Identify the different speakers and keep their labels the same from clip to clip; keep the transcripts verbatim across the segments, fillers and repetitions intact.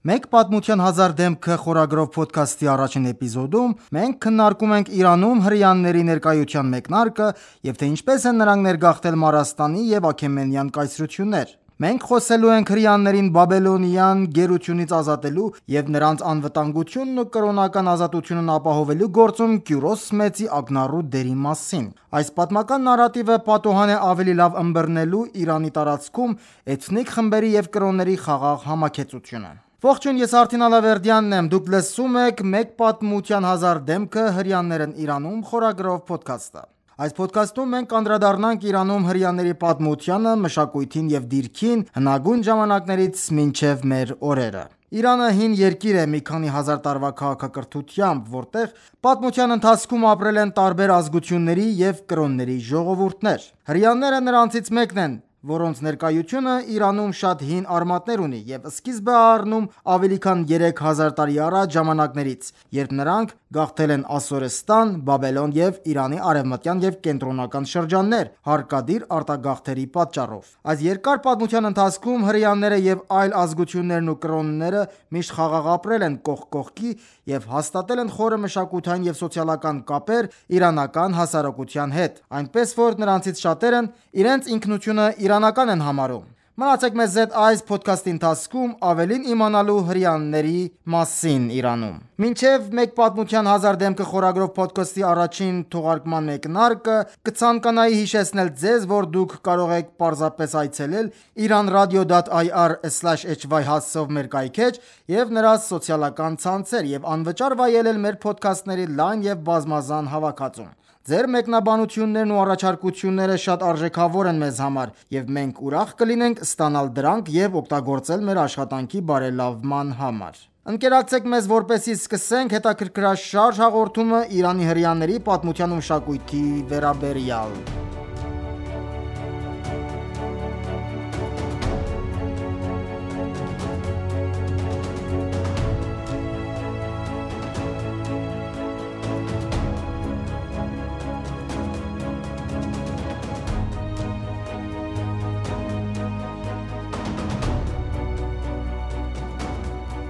Speaker 1: Մեկ պատմության հազար դեմքը խորագրով փոդքասթի առաջին էպիզոդում մենք քննարկում ենք Իրանում հրեաների ներկայության մեկնարկը եւ թե ինչպես են նրանք ներգաղթել Մարաստանի եւ Աքեմենյան կայսրություններ։ Մենք խոսելու ենք հրեաներին Բաբելոնյան գերությունից ազատելու եւ նրանց անվտանգությունն ու կրոնական ազատությունն ապահովելու գործում Կյուրոս մեծի ակնառու դերի մասին։ Այս պատմական նարատիվը պատուհան է ավելի լավ ըմբռնելու Իրանի տարածքում էթնիկ խմբերի եւ կրոնների խաղաղ համակեցությունը։ Ողջույն, ես Արթին Ալավերդյանն եմ, դուք լսում եք «Մեկ պատմության հազար դեմքը հրեաներն Իրանում» խորագրով փոդքասթը։ Այս փոդքասթում մենք կանդրադառնանք Իրանում հրեաների պատմությանը, մշակույթին եւ դիրքին հնագույն ժամանակներից մինչեւ մեր օրերը։ Իրանը հին երկիր է մի քանի հազար տարվա քաղաքակրթությամբ, որտեղ պատմության ընթացքում ապրել են տարբեր ազգությունների եւ կրոնների ժողովուրդներ։ Հրեաները նրանցից մեկն են, որոնց ներկայությունը Իրանում շատ հին արմատներ ունի եւ սկիզբ է առնում ավելի քան երեք հազար տարի առաջ ժամանակներից, երբ նրանք գաղթել են Ասորստան, Բաբելոն եւ Իրանի արևմտյան եւ կենտրոնական շրջաններ հարկադիր արտագաղթերի պատճառով։ Այս երկար պատմության ընթացքում հրեաները եւ այլ ազգություններն ու կրոնները միշտ խաղաղ ապրել են կողք կողքի եւ հաստատել են խորը մշակութային եւ սոցիալական կապեր իրանական հասարակության հետ, այնպես որ նրանցից շատերն իրենց ինքնությունը իրանական են համարում։ Մնացեք մեզ հետ այս փոդքասթի ընթացքում ավելին իմանալու հրեաների մասին Իրանում։ Մինչև մեկ պատմության հազար դեմքը խորագրով փոդքասթի առաջին թողարկման մեկնարկը կցանկանայի հիշեցնել ձեզ, որ դուք կարող եք պարզապես այցելել iranradio dot i r slash h y հասցեով մեր կայքէջ եւ նրա սոցիալական ցանցեր եւ անվճար վայելել մեր փոդքասթների լայն եւ բազմազան հավաքածուն։ Ձեր մեկնաբանություններն ու առաջարկությունները շատ արժեքավոր են մեզ համար եւ մենք ուրախ կլինենք ստանալ դրանք եւ օգտագործել մեր աշխատանքի բարելավման համար։ Ընկերակցեք մեզ, որպեսզի սկսենք հետաքրքրաշարժ հաղորդումը Իրանի հրեաների պատմության ու մշակույթի վերաբերյալ։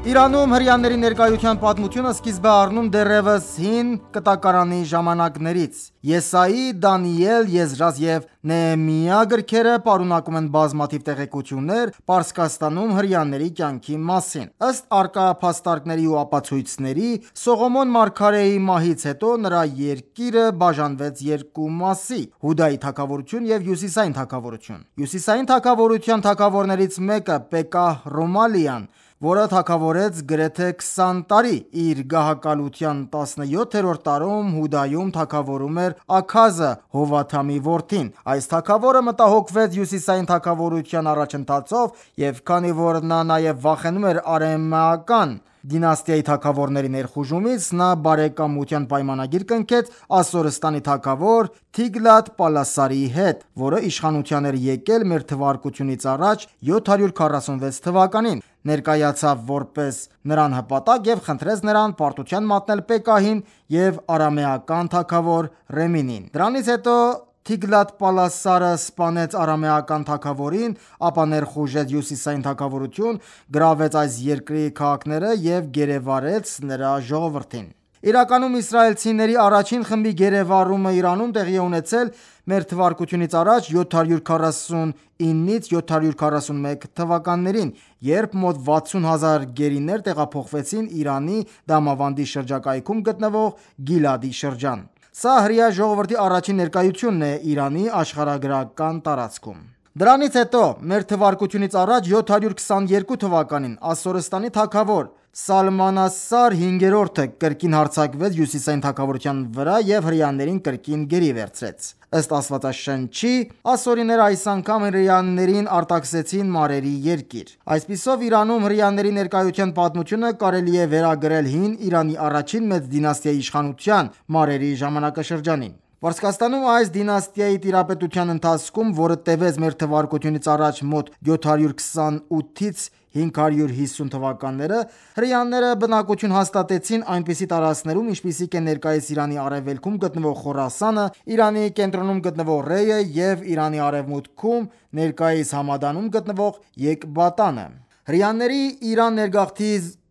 Speaker 1: Իրանում հրեաների ներկայության պատմությունը սկիզբ է առնում դեռևս հին կտակարանի ժամանակներից։ Եսայի, Դանիել, Եզրաս եւ Նեհեմիա գրքերը պարունակում են բազմաթիվ տեղեկություններ Պարսկաստանում հրեաների կյանքի մասին։ Ըստ առկա փաստարկների ու ապացույցների, Սողոմոն մարգարեի մահից հետո նրա երկիրը բաժանվեց երկու մասի՝ Հուդայի թագավորություն եւ Հյուսիսային թագավորություն։ Հյուսիսային թագավորության թագավորներից մեկը Պեկահ Ռոմալիան, որը թագավորեց գրեթե քսան տարի, իր գահակալության տասնյոթերորդ տարում Հուդայում թագավորում էր Աքազը, Հովաթամի որդին։ Այս թագավորը մտահոգվեց Հյուսիսային թագավորության առաջընթացով եւ քանի որ նա նաեւ վախենում էր արեմեական դինաստիայի թագավորների ներխուժումից, նա բարեկամության պայմանագիր կնքեց Ասորստանի թագավոր Թիգլաթ-Պալասարի հետ, որը իշխանության էր եկել մեր թվարկությունից առաջ յոթ հարյուր քառասունվեց թվականին, ներկայացավ որպես նրան հպատակ եւ խնդրեց նրան պարտության մատնել Պեկահին եւ արամեական թագավոր Ռեմինին։ Դրանից հետո Թիգլաթ-Պալասարը սպանեց արամեական թագավորին, ապա ներխուժեց Հյուսիսային թագավորություն, գրավեց այս երկրի քաղաքները եւ գերեվարեց նրա ժողովրդին։ Իրականում իսրայելցիների առաջին խմբի գերեվարումը Իրանում տեղի է ունեցել մեր թվարկությունից առաջ յոթ հարյուր քառասունինից յոթ հարյուր քառասունմեկ թվականներին, երբ մոտ վաթսուն հազար գերիներ տեղափոխվեցին Իրանի Դամավանդի շրջակայքում գտնվող Գիլադի շրջան։ Սա հրեա ժողովրդի առաջին ներկայությունն է Իրանի աշխարհագրական տարածքում։ Դրանից հետո մեր թվարկությունից առաջ յոթ հարյուր քսաներկու թվականին Ասորստանի թագավոր Սալմանասար հինգերորդը կրկին հարձակվեց Հյուսիսային թագավորության վրա եւ հրեաներին կրկին գերի վերցրեց։ Ըստ Աստվածաշնչի, ասորիները այս անգամ հրեաներին արտաքսեցին Մարերի երկիր։ Այսպիսով Իրանում հրեաների ներկայության պատմությունը կարելի է վերագրել հին Իրանի առաջին մեծ դինաստիայի իշխանության Մարերի ժամանակաշրջանին։ Պարսկաստանում այս դինաստիայի տիրապետության ընթացքում, որը տևեց մեր թվարկությունից առաջ մոտ յոթ հարյուր քսանութից հինգ հարյուր հիսուն թվականները, հրեաները բնակություն հաստատեցին այնպիսի տարածքներում, ինչպիսիք են ներկայիս Իրանի արևելքում գտնվող Խորասանը, Իրանի կենտրոնում գտնվող Ռեյը եւ Իրանի արևմուտքում ներկայիս Համադանում գտնվող Եկբատանը։ Հրեաների Իրան ներգաղթի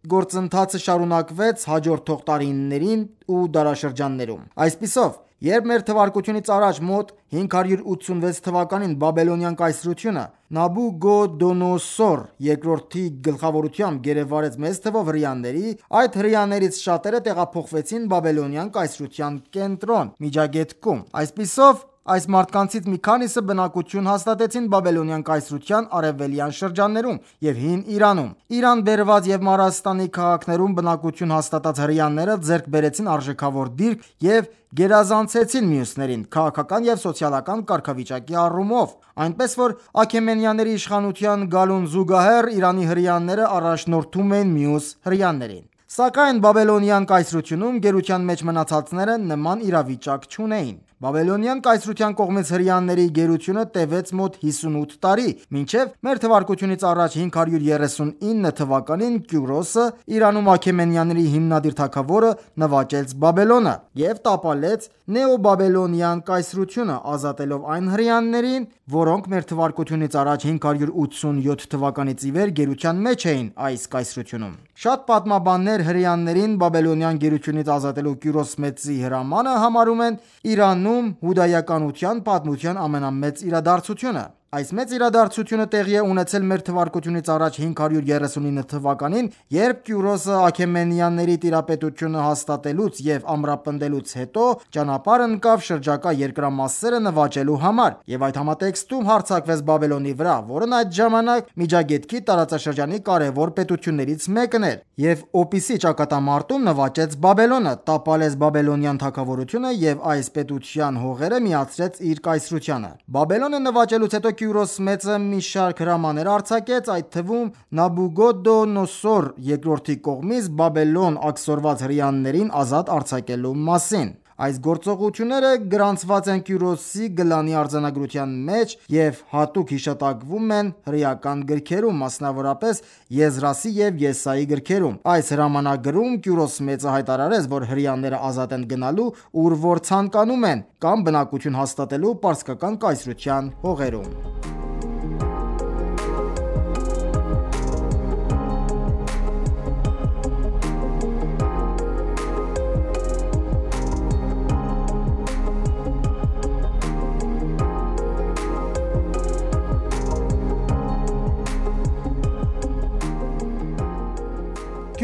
Speaker 1: գործընթացը շարունակվեց հաջորդող տարիներին ու դարաշրջաններում։ Այսպիսով, երբ մեր թվարկությունից առաջ մոտ հինգ հարյուր ութսունվեց թվականին Բաբելոնյան կայսրությունը Նաբուգոդոնոսոր երկրորդի գլխավորությամբ գերեվարեց մեծ թվով հրեաների, այդ հրեաներից շատերը տեղափոխվեցին Բաբելոնյան կայսրության կենտրոն Միջագետքում։ Այսպիսով, այս մարդկանցից մի քանիսը բնակություն հաստատեցին Բաբելոնյան կայսրության արևելյան շրջաններում և հին Իրանում։ Իրան բերված և Մարաստանի քաղաքներում բնակություն հաստատած հրեաները ձեռք բերեցին արժեքավոր դիրք և գերազանցեցին մյուսներին քաղաքական և սոցիալական կարգավիճակի առումով, այնպես որ Աքեմենյանների իշխանության գալուն զուգահեռ Իրանի հրեաները առաջնորդում էին մյուս հրեաներին։ Սակայն Բաբելոնյան կայսրությունում գերության մեջ մնացածները նման իրավիճակ չունեին։ Բաբելոնյան կայսրության կողմից հրեաների գերությունը տևեց մոտ հիսունութ տարի, մինչև մեր թվարկությունից առաջ հինգ հարյուր երեսունինը թվականին Կյուրոսը, Իրանում Աքեմենյանների հիմնադիր թագավորը, նվաճեց Բաբելոնը և տապալեց Նեոբաբելոնյան կայսրությունը, ազատելով այն հրեաներին, որոնք մեր թվարկությունից առաջ հինգ հարյուր ութսունյոթ թվականից ի վեր գերության մեջ էին այս կայսրությունում։ Շատ պատմաբաններ հրեաներին Բաբելոնյան գերությունից ազատելու Կյուրոս մեծի հրամանը համարում են Իրանում հուդայականության պատմության ամենամեծ իրադարձությունը։ Այս մեծ իրադարձությունը տեղի է ունեցել մեր թվարկությունից առաջ հինգ հարյուր երեսունինը թվականին, երբ Կյուրոսը Աքեմենյանների տիրապետությունը հաստատելուց և ամրապնդելուց հետո ճանապարհ ընկավ շրջակա երկրամասերը նվաճելու համար, և այդ համատեքստում հարձակվեց Բաբելոնի վրա, որն այդ ժամանակ Միջագետքի տարածաշրջանի կարևոր պետություններից մեկն էր, և Օպիսի ճակատամարտում նվաճեց Բաբելոնը, տապալեց Բաբելոնյան թագավորությունը և այս պետության հողերը միացրեց իր կայսրությանը։ Բաբելոնը նվաճելուց հետո Կյուրոս մեծը մի շարք հրամաններ արձակեց, այդ թվում Նաբուգոդոնոսոր երկրորդի կողմից Բաբելոն աքսորված հրեաներին ազատ արձակելու մասին։ Այս գործողությունները գրանցված են Կյուրոսի գլանի արձանագրության մեջ և հատուկ հիշատակվում են հրեական գրքերում, մասնավորապես Եզրասի և Եսայի գրքերում։ Այս հրամանագրում Կյուրոս մեծը հայտարարեց, որ հրեաները ազատ են գնալու, ուր որ ցանկանում են, կամ բնակություն հաստատելու պարսկական կայսրության հողերում։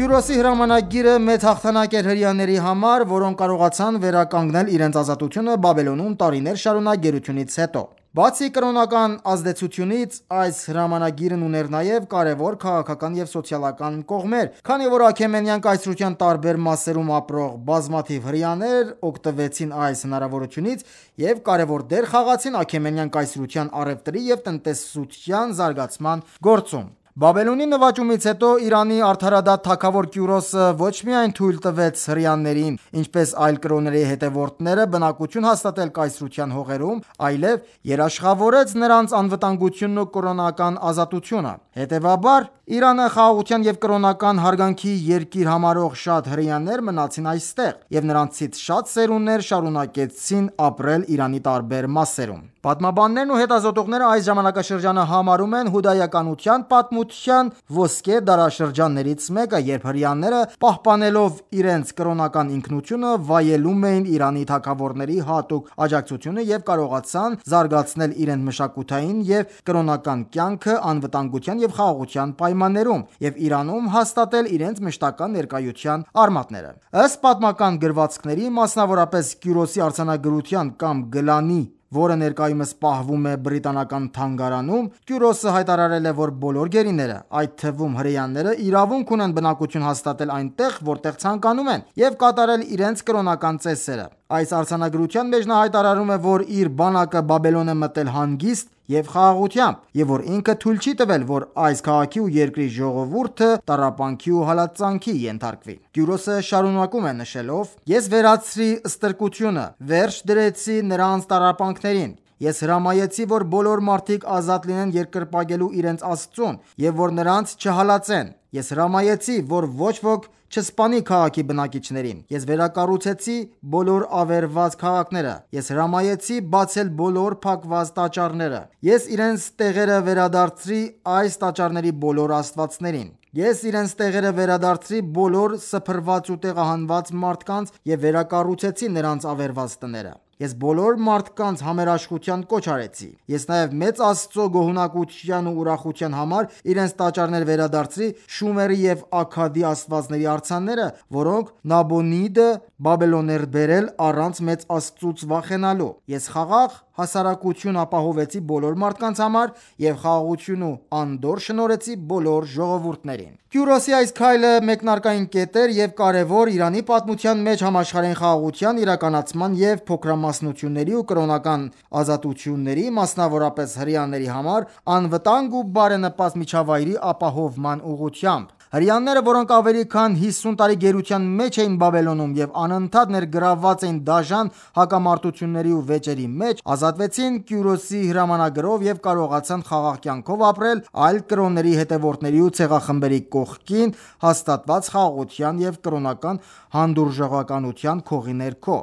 Speaker 1: Կյուրոսի հրամանագիրը մեծ հաղթանակ էր հրեաների համար, որոնք կարողացան վերականգնել իրենց ազատությունը Բաբելոնում տարիներ շարունակ գերությունից հետո։ Բացի կրոնական ազդեցությունից, այս հրամանագիրն ուներ նաև կարևոր քաղաքական և սոցիալական կողմեր, քանի որ Աքեմենյան կայսրության տարբեր մասերում ապրող բազմաթիվ հրեաներ օգտվեցին այս հնարավորությունից և կարևոր դեր խաղացին Աքեմենյան կայսրության առևտրի և տնտեսության զարգացման գործում։ Բաբելոնի նվաճումից հետո Իրանի արդարադատ թագավոր Կյուրոսը ոչ միայն թույլ տվեց հրեաներին, ինչպես այլ կրոնների հետևորդները, բնակություն հաստատել կայսրության հողերում, այլև երաշխավորեց նրանց անվտանգությունն ու կրոնական ազատությունը։ Հետևաբար, Իրանը խաղաղության և կրոնական հարգանքի երկիր համարող շատ հրեաներ մնացին այստեղ, և նրանցից շատ սերունդներ շարունակեցին ապրել Իրանի տարբեր մասերում։ Պատմաբաններն ու հետազոտողները այս ժամանակաշրջանը համարում են հուդայականության պատմության ոսկե դարաշրջաններից մեկը, երբ հրեաները, պահպանելով իրենց կրոնական ինքնությունը, վայելում էին Իրանի թագավորների հատուկ աջակցությունը և կարողացան զարգացնել իրենց մշակութային և կրոնական կյանքը անվտանգության և խաղաղության պայմաններում և Իրանում հաստատել իրենց մշտական ներկայության արմատները։ Ըստ պատմական գրվածքների, մասնավորապես Կյուրոսի արձանագրության կամ գլանի, որը ներկայումս պահվում է բրիտանական թանգարանում, Կյուրոսը հայտարարել է, որ բոլոր գերիները, այդ թվում հրեաները, իրավունք ունեն բնակություն հաստատել այնտեղ, որտեղ ցանկանում են, և կատարել իրենց կրոնական ծեսերը։ Այս արձանագրության մեջ նա հայտարարում է, որ իր բանակը Բաբելոն է մտել հանգիստ և խաղաղությամբ, և որ ինքը թույլ չի տվել, որ այս քաղաքի ու երկրի ժողովուրդը տառապանքի ու հալածանքի ենթարկվի։ Կյուրոսը շարունակում է նշելով. «Ես վերացրի ստրկությունը, վերջ դրեցի նրանց տառապանքներին Ես հրամայեցի, որ բոլոր մարդիկ ազատ լինեն երկրպագելու իրենց Աստծուն և որ նրանց չհալածեն։ Ես հրամայեցի, որ ոչ ոք չսպանի քաղաքի բնակիչներին։ Ես վերակառուցեցի բոլոր ավերված քաղաքները։ Ես հրամայեցի բացել բոլոր փակված տաճարները։ Ես իրենց տեղերը վերադարձրի այս տաճարների բոլոր աստվածներին։ Ես իրենց տեղերը վերադարձրի բոլոր սփռված ու տեղահանված մարդկանց և վերակառուցեցի նրանց ավերված տները։ Ես բոլոր մարդկանց համերաշխության կոչ արեցի։ Ես նաև մեծ Աստծո գոհունակության ու ուրախության համար իրենց տաճարներ վերադարձրի Շումերի և Աքքադի աստվածների արձանները, որոնք Նաբոնիդը Բաբելոն էր բերել առանց մեծ Աստծուց վախենալու։ Ես խաղաղ հասարակություն ապահովեցի բոլոր մարդկանց համար և խաղաղություն ու անդորր շնորհեցի բոլոր ժողովուրդներին։ Կյուրոսի այս քայլը մեկնարկային կետ էր և կարևոր Իրանի պատմության մեջ համաշխարհային խաղաղության իրականացման և փոքրամասնությունների ու կրոնական ազատությունների, մասնավորապես հրեաների համար անվտանգ ու բարենպաստ միջավայրի ապահովման ուղղությամբ։ Հրեաները, որոնք ավելի քան հիսուն տարի գերության մեջ էին Բաբելոնում և անընդհատ ներգրավված էին դաժան հակամարտությունների ու վեճերի մեջ, ազատվեցին Կյուրոսի հրամանագրով և կարողացան խաղաղ կյանքով ապրել այլ կրոնների հետևորդների ու ցեղախմբերի կողքին հաստատված խաղաղության և կրոնական հանդուրժողականության քողի ներքո։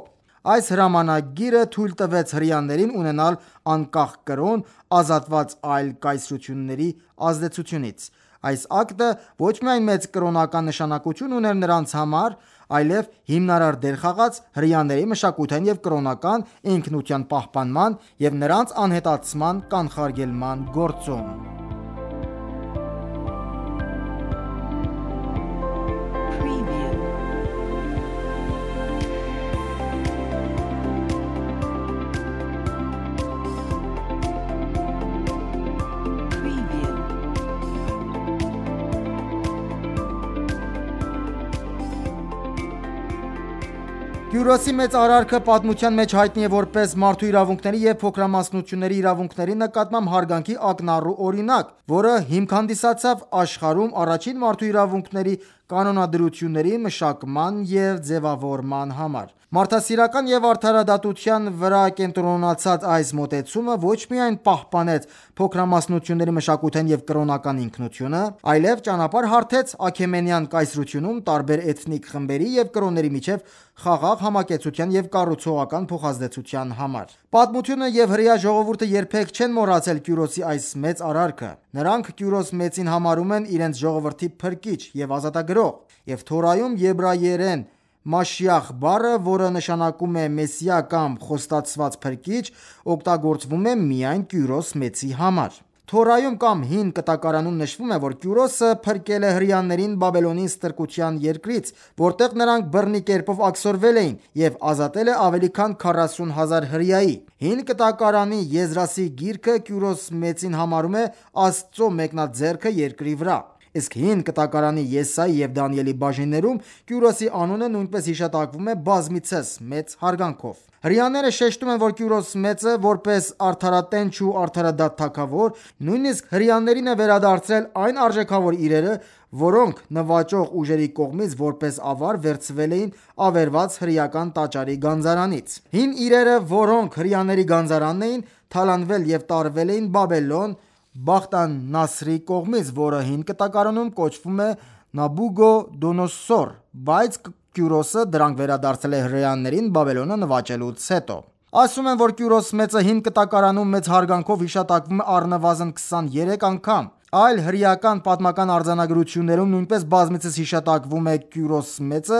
Speaker 1: Այս հրամանագիրը թույլ տվեց հրեաներին ունենալ անկախ կրոն՝ ազատված այլ կայսրությունների ազդեցությունից։ Այս ակտը ոչ միայն մեծ կրոնական նշանակություն ուներ նրանց համար, այլև հիմնարար դեր խաղաց հրեաների մշակութային և կրոնական ինքնության պահպանման և նրանց անհետացման կանխարգելման գործում։ Կյուրոսի մեծ արարքը պատմության մեջ հայտնի է որպես մարդու իրավունքների և փոքրամասնությունների իրավունքների նկատմամբ հարգանքի ակնառու օրինակ, որը հիմք հանդիսացավ աշխարհում առաջին մարդու իրավունքների կանոնադրությունների մշակման և ձևավորման համար։ Մարդասիրական և արդարադատության վրա կենտրոնացած այս մոտեցումը ոչ միայն պահպանեց փոքրամասնությունների մշակութային և կրոնական ինքնությունը, այլև ճանապարհ հարթեց Աքեմենյան կայսրությունում տարբեր էթնիկ խմբերի և կրոնների միջև խաղաղ համակեցության և կառուցողական փոխազդեցության համար։ Պատմությունը և հրեա ժողովուրդը երբեք չեն մոռացել Կյուրոսի այս մեծ արարքը։ Նրանք Կյուրոս Մեծին համարում են իրենց ժողովրդի փրկիչ և ազատագրող, և Թորայում եբրայերեն Մաշիախ բառը, որը նշանակում է Մեսիա կամ Խոստացված Փրկիչ, օգտագործվում է միայն Կյուրոս Մեծի համար։ Թորայում կամ Հին Կտակարանում նշվում է, որ Կյուրոսը փրկել է հրեաներին Բաբելոնի ստրկության երկրից, որտեղ նրանք բռնի կերպով աքսորվել էին, և ազատել է ավելի քան քառասուն հազար հրեայի։ Հին Կտակարանի Եզրասի գիրքը Կյուրոս Մեծին համարում է Աստծո մեկնաձեռքը երկրի վրա։ Իսկ Հին Կտակարանի Եսայի և Դանիելի բաժիններում Կյուրոսի անունը նույնպես հիշատակվում է բազմիցս մեծ հարգանքով։ Հրեաները շեշտում են, որ Կյուրոս Մեծը, որպես արդարատենչ ու արդարադատ թագավոր, նույնիսկ հրեաներին է վերադարձրել այն արժեքավոր իրերը, որոնք նվաճող ուժերի կողմից որպես ավար վերցվել էին ավերված հրեական տաճարի գանձարանից։ Հին իրերը, որոնք հրեաների գանձարանն էին, թալանվել և տարվել էին Բաբելոն Բախտանասրի կողմից, որը Հին Կտակարանում կոչվում է Նաբուգոդոնոսոր, բայց Կյուրոսը դրանք վերադարձրել է հրեաներին Բաբելոնը նվաճելուց հետո։ Ասում են, որ Կյուրոս Մեծը Հին Կտակարանում մեծ հարգանքով հիշատակվում է առնվազն քսաներեք անգամ։ Այլ հրեական պատմական արձանագրություններում նույնպես բազմիցս հիշատակվում է Կյուրոս Մեծը,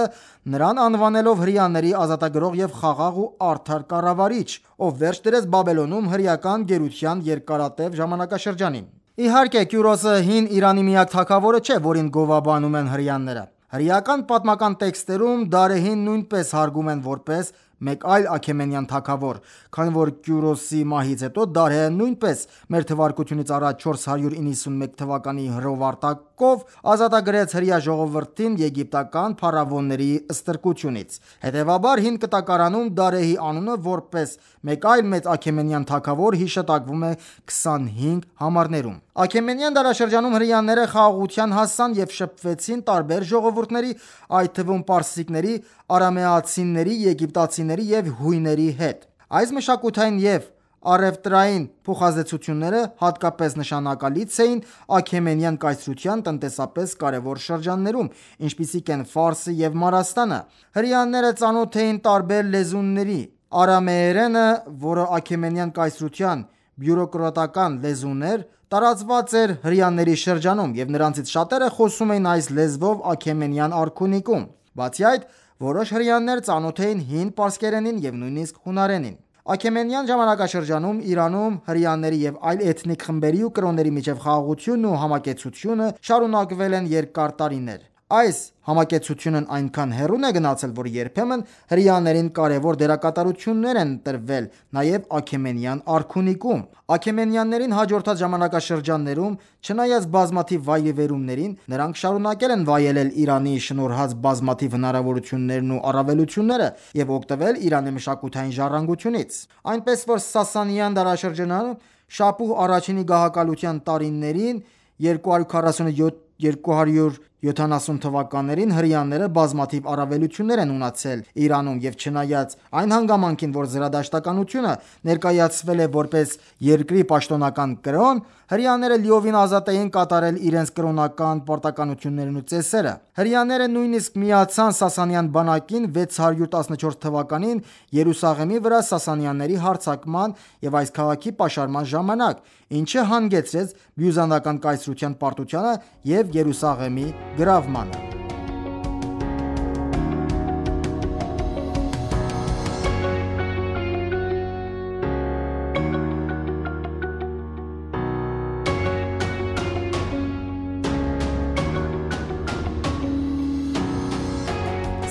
Speaker 1: նրան անվանելով հրեաների ազատագրող և խաղաղ ու արդար կառավարիչ, ով վերջ դրեց Բաբելոնում հրեական գերության երկարատև ժամանակաշրջանին։ Իհարկե, Կյուրոսը հին Իրանի միակ թագավորը չէ, որին գովաբանում են հրեաները։ Հրեական պատմական տեքստերում Դարեհին նույնպես հարգում են որպես մեկ այլ աքեմենյան թագավոր, քանի որ Կյուրոսի մահից հետո Դարեհը նույնպես մ.թ.ա. չորս հարյուր իննսունմեկ թվականի հրովարտակով ազատագրեց հրեա ժողովրդին եգիպտական փարավոնների ստրկությունից։ Հետևաբար, Հին Կտակարանում Դարեհի անունը որպես մեկ այլ մեծ աքեմենյան թագավոր հիշատակվում է քսանհինգ համարներում։ Աքեմենյան դարաշրջանում հրեաները խաղաղության հասան և շփվեցին տարբեր ժողովուրդների, այդ թվում պարսիկների, արամեացիների, եգիպտացիների և հույների հետ։ Այս մշակութային և Առևտրային փոխազդեցությունները հատկապես նշանակալից էին Աքեմենյան կայսրության տնտեսապես կարևոր շրջաններում, ինչպիսիք են Ֆարսը և Մարաստանը։ Հրեաները ծանոթ էին տարբեր լեզուների։ Արամեերենը, որը Աքեմենյան կայսրության բյուրոկրատական լեզուն էր, տարածված էր հրեաների շրջանում, և նրանցից շատերը խոսում էին այս լեզվով Աքեմենյան արքունիքում։ Բացի այդ, որոշ հրեաներ ծանոթ էին հին պարսկերենին և նույնիսկ հունարենին։ Աքեմենյան ժամանակաշրջանում Իրանում հրեաների և այլ էթնիկ խմբերի ու կրոնների միջև խաղաղությունն ու համակեցությունը շարունակվել են երկար տարիներ։ Այս համակեցությունն այնքան հեռուն է գնացել, որ երբեմն հրեաներին կարևոր դերակատարություններ են տրվել նաև Աքեմենյան արքունիքում։ Աքեմենյաններին հաջորդած ժամանակաշրջաններում, չնայած բազմաթիվ վայրիվերումներին, նրանք շարունակել են վայելել Իրանի շնորհած բազմաթիվ հնարավորություններն ու առավելությունները և օգտվել Իրանի մշակութային ժառանգությունից։ Այնպես որ Սասանյան դարաշրջանում Շապուհ I-ի գահակալության տարիներին երկու հարյուր քառասունյոթ - երկու հարյուր յոթանասուն թվականներին հրեաները բազմաթիվ առավելություններ են ունեցել Իրանում, և չնայած այն հանգամանքին, որ զրադաշտականությունը ներկայացվել է որպես երկրի պաշտոնական կրոն, հրեաները լիովին ազատ էին կատարել իրենց կրոնական պարտականություններն ու ծեսերը։ Հրեաները նույնիսկ միացան Սասանյան բանակին վեց հարյուր տասնչորս թվականին Երուսաղեմի վրա սասանյանների հարձակման և այս քաղաքի պաշարման ժամանակ, ինչը հանգեցրեց բյուզանդական կայսրության պարտությանը և Երուսաղեմի գրավմանը։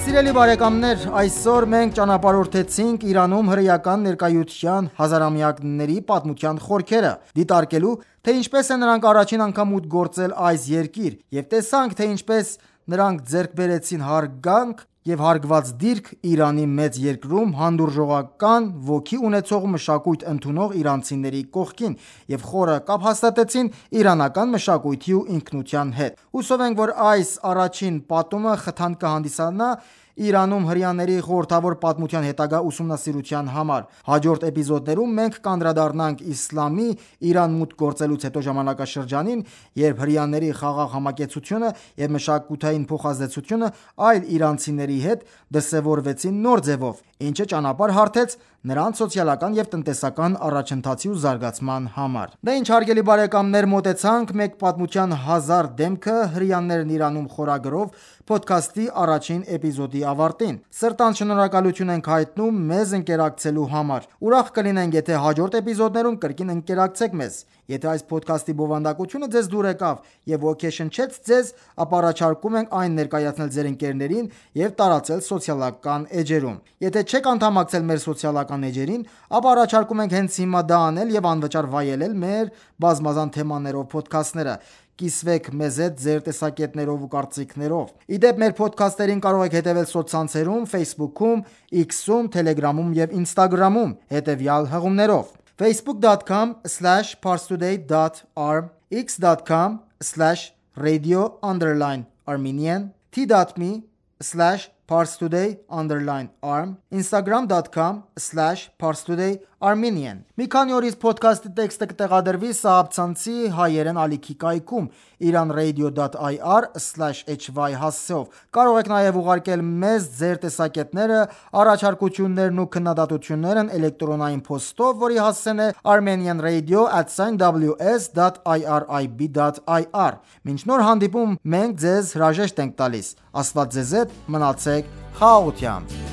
Speaker 1: Սիրելի բարեկամներ, այսօր մենք ճանապարհորդեցինք Իրանում հրեական ներկայության հազարամյակների պատմության խորքերը, դիտարկելու, թե ինչպես են նրանք առաջին անգամ մուտք գործել այս երկիր, և տեսանք, թե ինչպես նրանք ձեռք բերեցին հարգանք և հարգված դիրք Իրանի մեծ երկրում հանդուրժողական ոգի ունեցող մշակույթ ընդունող իրանցիների կողքին և խորը կապ հաստատեցին իրանական մշակույթի ու ինքնության հետ։ Հուսով ենք, որ այս առաջին պատումը խթան կհանդիսանա Իրանում հրեաների խորհրդավոր պատմության հետագա ուսումնասիրության համար։ Հաջորդ էպիզոդներում մենք կանդրադառնանք իսլամի Իրան մուտք գործելուց հետո ժամանակաշրջանին, երբ հրեաների խաղաղ համակեցությունը և մշակութային փոխազդեցությունը այլ իրանցիների հետ դրսևորվեցին նոր ձևով, ինչը ճանապարհ հարթեց նրանց սոցիալական և տնտեսական առաջընթացի ու զարգացման համար։ Դե ինչ հարգելի բարեկամներ, մոտեցանք «Մեկ պատմության հազար դեմքը. հրեաներն Իրանում» խորագրով փոդքասթի առաջին էպիզոդի ավարտին։ Սրտանց շնորհակալություն ենք հայտնում մեզ ընկերակցելու համար։ Ուրախ կլինենք, եթե հաջորդ էպիզոդներում կրկին ընկերակցեք մեզ։ Եթե այս փոդքասթի բովանդակությունը ձեզ դուր եկավ և ոգեշնչեց ձեզ, ապա առաջարկում ենք այն ներկայացնել ձեր ընկերներին և տարածել սոցիալական էջերում։ Եթե չեք անդամակցել մեր սոցիալական էջերին, ապա առաջարկում ենք հենց հիմա դա անել և անվճար վայելել մեր բազմազան թեմաներով փոդքասթները։ Կիսվեք մեզ հետ ձեր տեսակետներով ու կարծիքներով։ Ի դեպ, մեր փոդքասթերին կարող եք հետևել սոցցանցերում Facebook-ում, X-ում, Telegram-ում և Instagram-ում հետևյալ հղումներով. facebook dot com slash parstoday dot r m, x dot com slash radio underline armenian, t dot m e slash parstoday underline r m, instagram dot com slash parstoday armenian։ Մի քանի օրից փոդքասթի տեքստը կտեղադրվի Սահաբցանցի հայերեն ալիքի կայքում iranradio dot i r slash h y հասցեով։ Կարող եք նաև ուղարկել մեզ ձեր տեսակետները, առաջարկություններն ու քննադատություններն էլեկտրոնային փոստով, որի հասցեն է armenianradio at w s dot i r i b dot i r։ Մինչ նոր հանդիպում, մենք ձեզ հրաժեշտ ենք տալիս։ Աստված ձեզ հետ, մնացեք խաղաղությամբ։